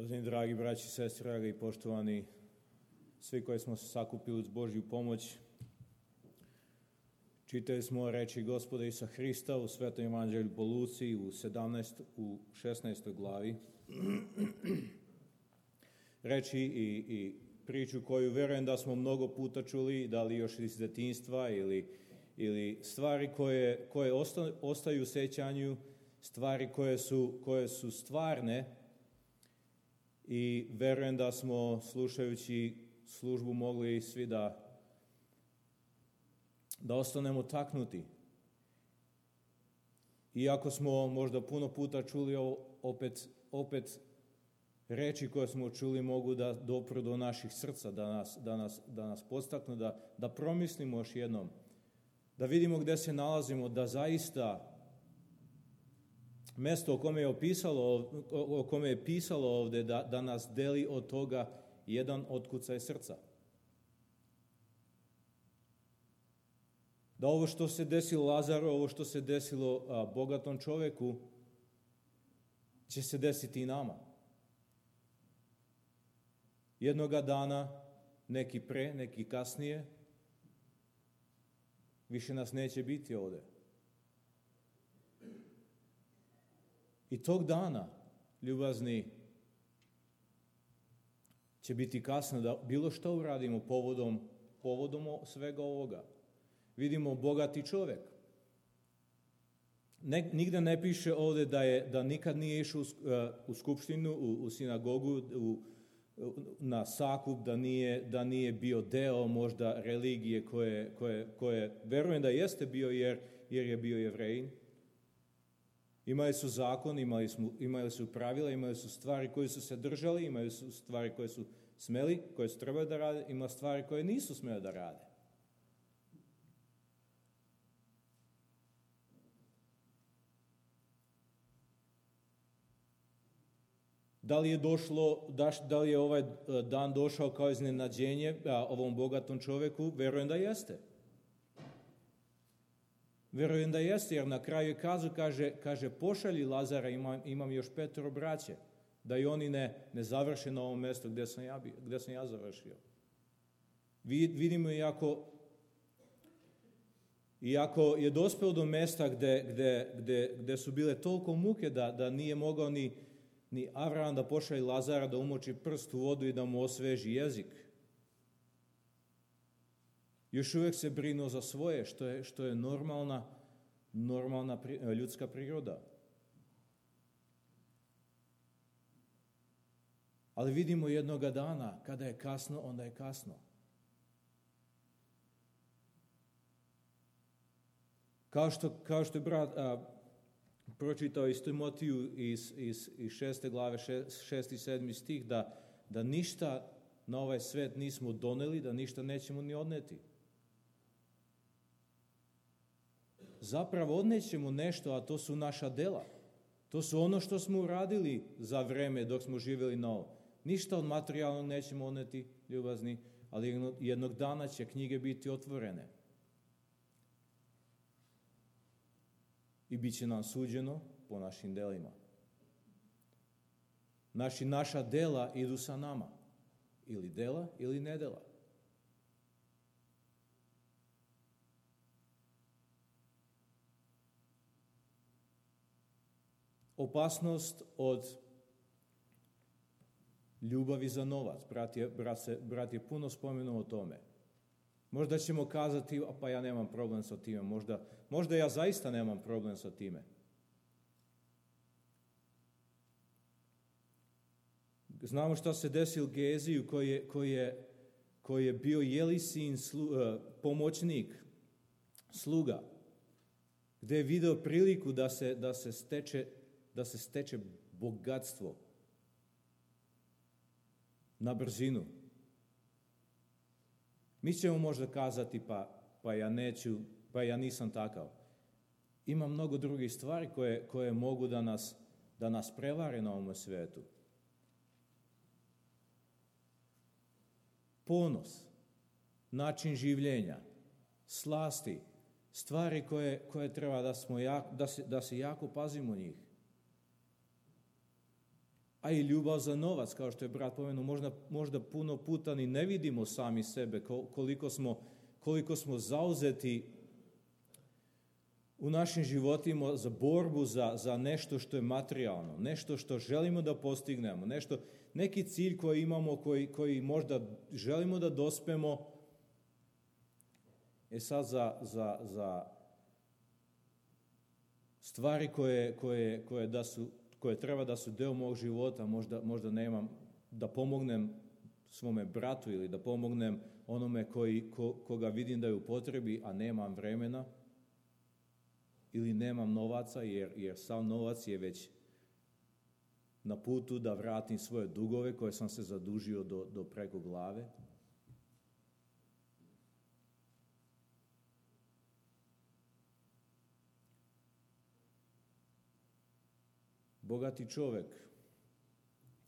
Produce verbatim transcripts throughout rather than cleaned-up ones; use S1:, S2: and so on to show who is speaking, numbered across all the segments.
S1: Uvaženi dragi braći i sestre, dragi i poštovani, svi koji smo se sakupili uz Božju pomoć, čitali smo reči Gospoda Isusa Hrista u Svetom evanđelju po Luci u sedamnaestoj u šesnaestoj glavi. Reči i, i priču koju verujem da smo mnogo puta čuli, da li još iz detinjstva ili, ili stvari koje, koje osta, ostaju u sećanju, stvari koje su, koje su stvarne. I verujem da smo, slušajući službu, mogli svi da, da ostanemo taknuti. Iako smo možda puno puta čuli opet, opet reči koje smo čuli mogu da dopru do naših srca, da nas, da nas, da nas podstaknu, da, da promislimo još jednom, da vidimo gde se nalazimo, da zaista mesto o kome je opisalo, o kome je pisalo ovde, da, da nas deli od toga jedan otkucaj srca. Da ovo što se desilo Lazaru, ovo što se desilo a, bogatom čoveku, će se desiti i nama. Jednoga dana, neki pre, neki kasnije, više nas neće biti ovde. I tog dana, ljubazni, će biti kasno da bilo što uradimo povodom, povodom svega ovoga. Vidimo bogati čovek. Ne, nigde ne piše ovde da, je, da nikad nije išao u, u skupštinu, u, u sinagogu, u, na sakup, da nije, da nije bio deo možda religije koje, koje, koje verujem da jeste bio jer, jer je bio Jevrejin. Imali su zakon, imali su, imali su pravila, imali su stvari koje su se držali, imali su stvari koje su smeli, koje su trebali da rade, ima stvari koje nisu smeli da rade. Da li je došlo, da li je ovaj dan došao kao iznenađenje ovom bogatom čoveku? Verujem da jeste. Verujem da jeste, jer na kraju je kazu, kaže, kaže pošalji Lazara, imam, imam još petoro braće, da i oni ne, ne završe na ovom mestu gde sam ja, gde sam ja završio. Vidimo iako, iako je dospeo do mesta gde, gde, gde, gde su bile toliko muke da, da nije mogao ni, ni Avram da pošalji Lazara da umoči prst u vodu i da mu osveži jezik. Još uvijek se brinuo za svoje, što je, što je normalna, normalna ljudska priroda. Ali vidimo jednoga dana, kada je kasno, onda je kasno. Kao što, kao što je brat a, pročitao iz Timotiju iz, iz, iz šeste glave, šest, šesti i sedmi stih, da, da ništa na ovaj svet nismo doneli, da ništa nećemo ni odneti. Zapravo odnećemo nešto, a to su naša dela. To su ono što smo uradili za vreme dok smo živjeli na ovom. Ništa od materijalnog nećemo odneti, ljubazni, ali jednog dana će knjige biti otvorene. I bit će nam suđeno po našim delima. Naši, naša dela idu sa nama. Ili dela, ili nedela. Opasnost od ljubavi za novac. Brat je, brat se, brat je puno spomenuo o tome. Možda ćemo kazati, pa ja nemam problem sa time. Možda, možda ja zaista nemam problem sa time. Znamo šta se desilo Geziju koji je, koji je, koji je bio Jelisin slu, pomoćnik, sluga, gde je video priliku da se, da se steče da se steče bogatstvo na brzinu. Mi ćemo možda kazati, pa, pa ja neću, pa ja nisam takav. Ima mnogo drugih stvari koje, koje mogu da nas, da nas prevare na ovom svetu. Ponos, način življenja, slasti, stvari koje, koje treba da, smo jak, da, se, da se jako pazimo njih. A i ljubav za novac, kao što je brat pomenuo, možda, možda puno puta ni ne vidimo sami sebe, koliko smo, koliko smo zauzeti u našim životima za borbu za, za nešto što je materijalno, nešto što želimo da postignemo, nešto, neki cilj koji imamo, koji, koji možda želimo da dospemo. E sad za, za, za stvari koje, koje, koje, da su, koje treba da su deo mog života, možda, možda nemam, da pomognem svome bratu ili da pomognem onome koji, ko, koga vidim da je u potrebi, a nemam vremena, ili nemam novaca, jer, jer sav novac je već na putu da vratim svoje dugove koje sam se zadužio do, do preko glave. Bogati čovjek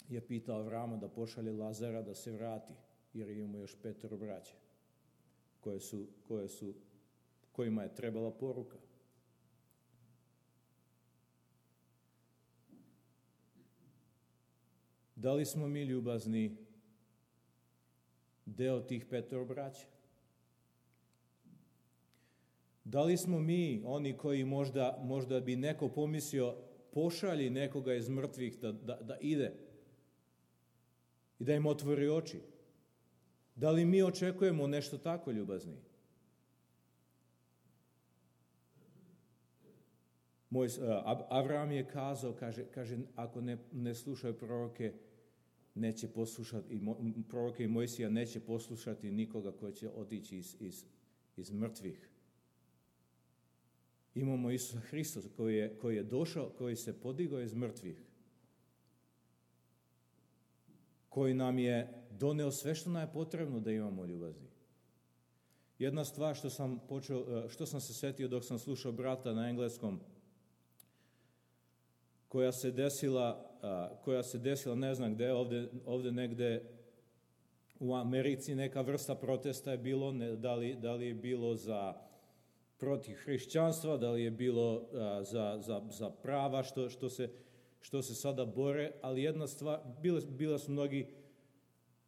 S1: je pitao Avrama da pošalje Lazara da se vrati, jer imamo još petero braće koje su, koje su, kojima je trebala poruka. Da li smo mi ljubazni deo tih petero braća? Da li smo mi oni koji možda, možda bi neko pomislio pošalji nekoga iz mrtvih da, da, da ide i da im otvori oči? Da li mi očekujemo nešto tako ljubazni? Moj, Avram je kazao, kaže, kaže ako ne, ne slušaju proroke, neće poslušati, i proroke i Mojsija neće poslušati nikoga koji će otići iz, iz, iz mrtvih. Imamo Isusa Hrista koji je, koji je došao, koji se podigao iz mrtvih, koji nam je doneo sve što nam je potrebno da imamo ljubazni. Jedna stvar što sam počeo, što sam se setio dok sam slušao brata na engleskom, koja se desila, koja se desila ne znam gde, ovde, ovde negde u Americi neka vrsta protesta je bilo, ne, da, li, da li je bilo za protiv hrišćanstva, da li je bilo a, za, za, za prava što, što, se, što se sada bore, ali jedna stvar, bile, bile su mnogi,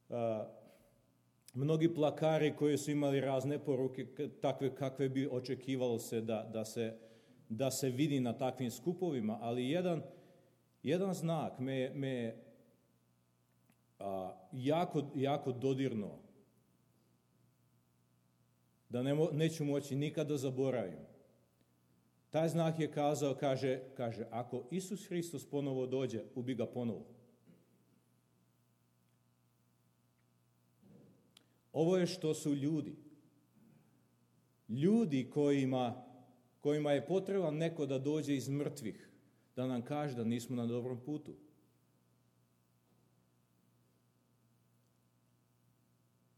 S1: a, mnogi plakari koji su imali razne poruke, takve kakve bi očekivalo se da, da se da se vidi na takvim skupovima, ali jedan, jedan znak me, me a, jako, jako dodirnuo, da ne, neću moći nikada zaboravim. Taj znak je kazao, kaže, kaže, ako Isus Hristos ponovo dođe, ubi ga ponovo. Ovo je što su ljudi. Ljudi kojima kojima je potreban neko da dođe iz mrtvih, da nam kaže da nismo na dobrom putu.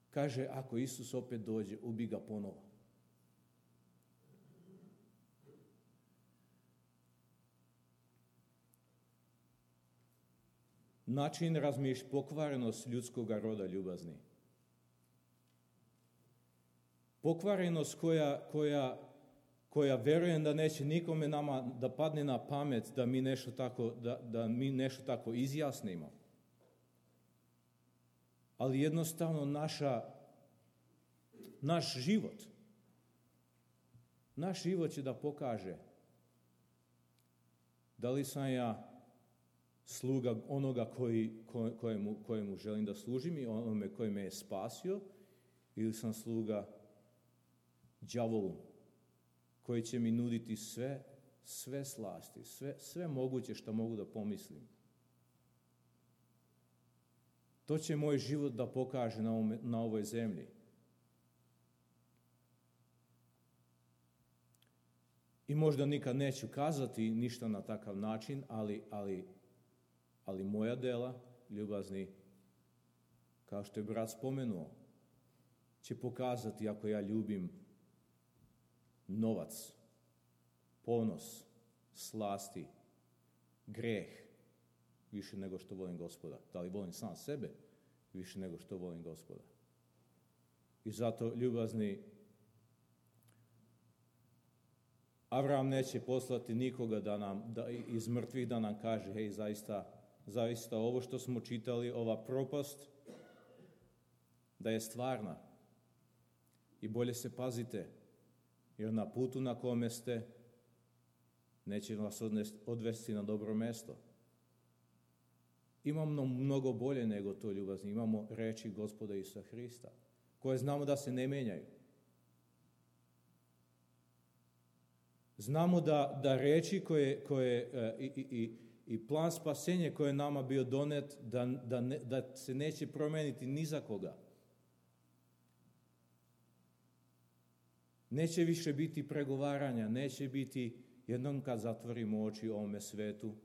S1: Kaže, ako Isus opet dođe, ubi ga ponovo. Način razmišljanja, pokvarenost ljudskog roda ljubazni. Pokvarenost koja, koja koja verujem da neće nikome nama da padne na pamet da mi nešto tako, da, da mi nešto tako izjasnimo. Ali jednostavno naša, naš život, naš život će da pokaže da li sam ja sluga onoga koji, kojemu, kojemu želim da služim i onome koji me je spasio, ili sam sluga đavolu, koji će mi nuditi sve, sve slasti, sve, sve moguće što mogu da pomislim. To će moj život da pokaže na, ovome, na ovoj zemlji. I možda nikad neću kazati ništa na takav način, ali, ali, ali moja dela, ljubazni, kao što je brat spomenuo, će pokazati ako ja ljubim novac, ponos, slasti, greh, više nego što volim Gospoda. Da li volim sam sebe više nego što volim Gospoda. I zato, ljubazni, Avram neće poslati nikoga da nam, da, iz mrtvih da nam kaže, hej, zaista zaista ovo što smo čitali, ova propast, da je stvarna. I bolje se pazite, jer na putu na kome ste neće vas odvesti na dobro mesto. Imamo mnogo bolje nego to, ljubazni. Imamo reči Gospoda Isusa Hrista, koje znamo da se ne menjaju. Znamo da, da reči koje, koje i, i, i plan spasenja koji je nama bio donet, da, da, ne, da se neće promeniti ni za koga. Neće više biti pregovaranja, neće biti, jednom kad zatvorimo oči ovome svetu,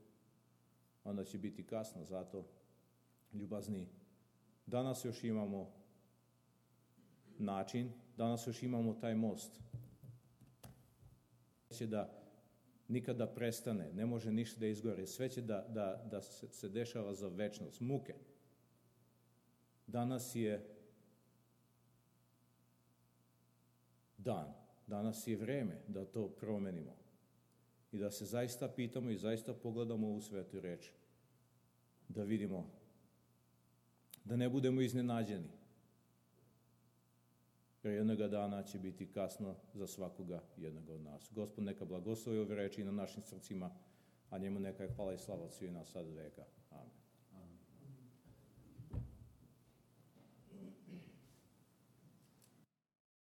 S1: onda će biti kasno. Zato, ljubazni, danas još imamo način, danas još imamo taj most. Neće da nikada prestane, ne može ništa da izgore, sve će da, da, da se, se dešava za večnost, muke. Danas je dan, danas je vreme da to promenimo i da se zaista pitamo i zaista pogledamo u svetu reč, da vidimo, da ne budemo iznenađeni, jer jednoga dana će biti kasno za svakoga jednoga od nas. Gospod neka blagoslovi ove reči na našim srcima, a njemu neka je hvala i slava od svih nas sad veka. Amen.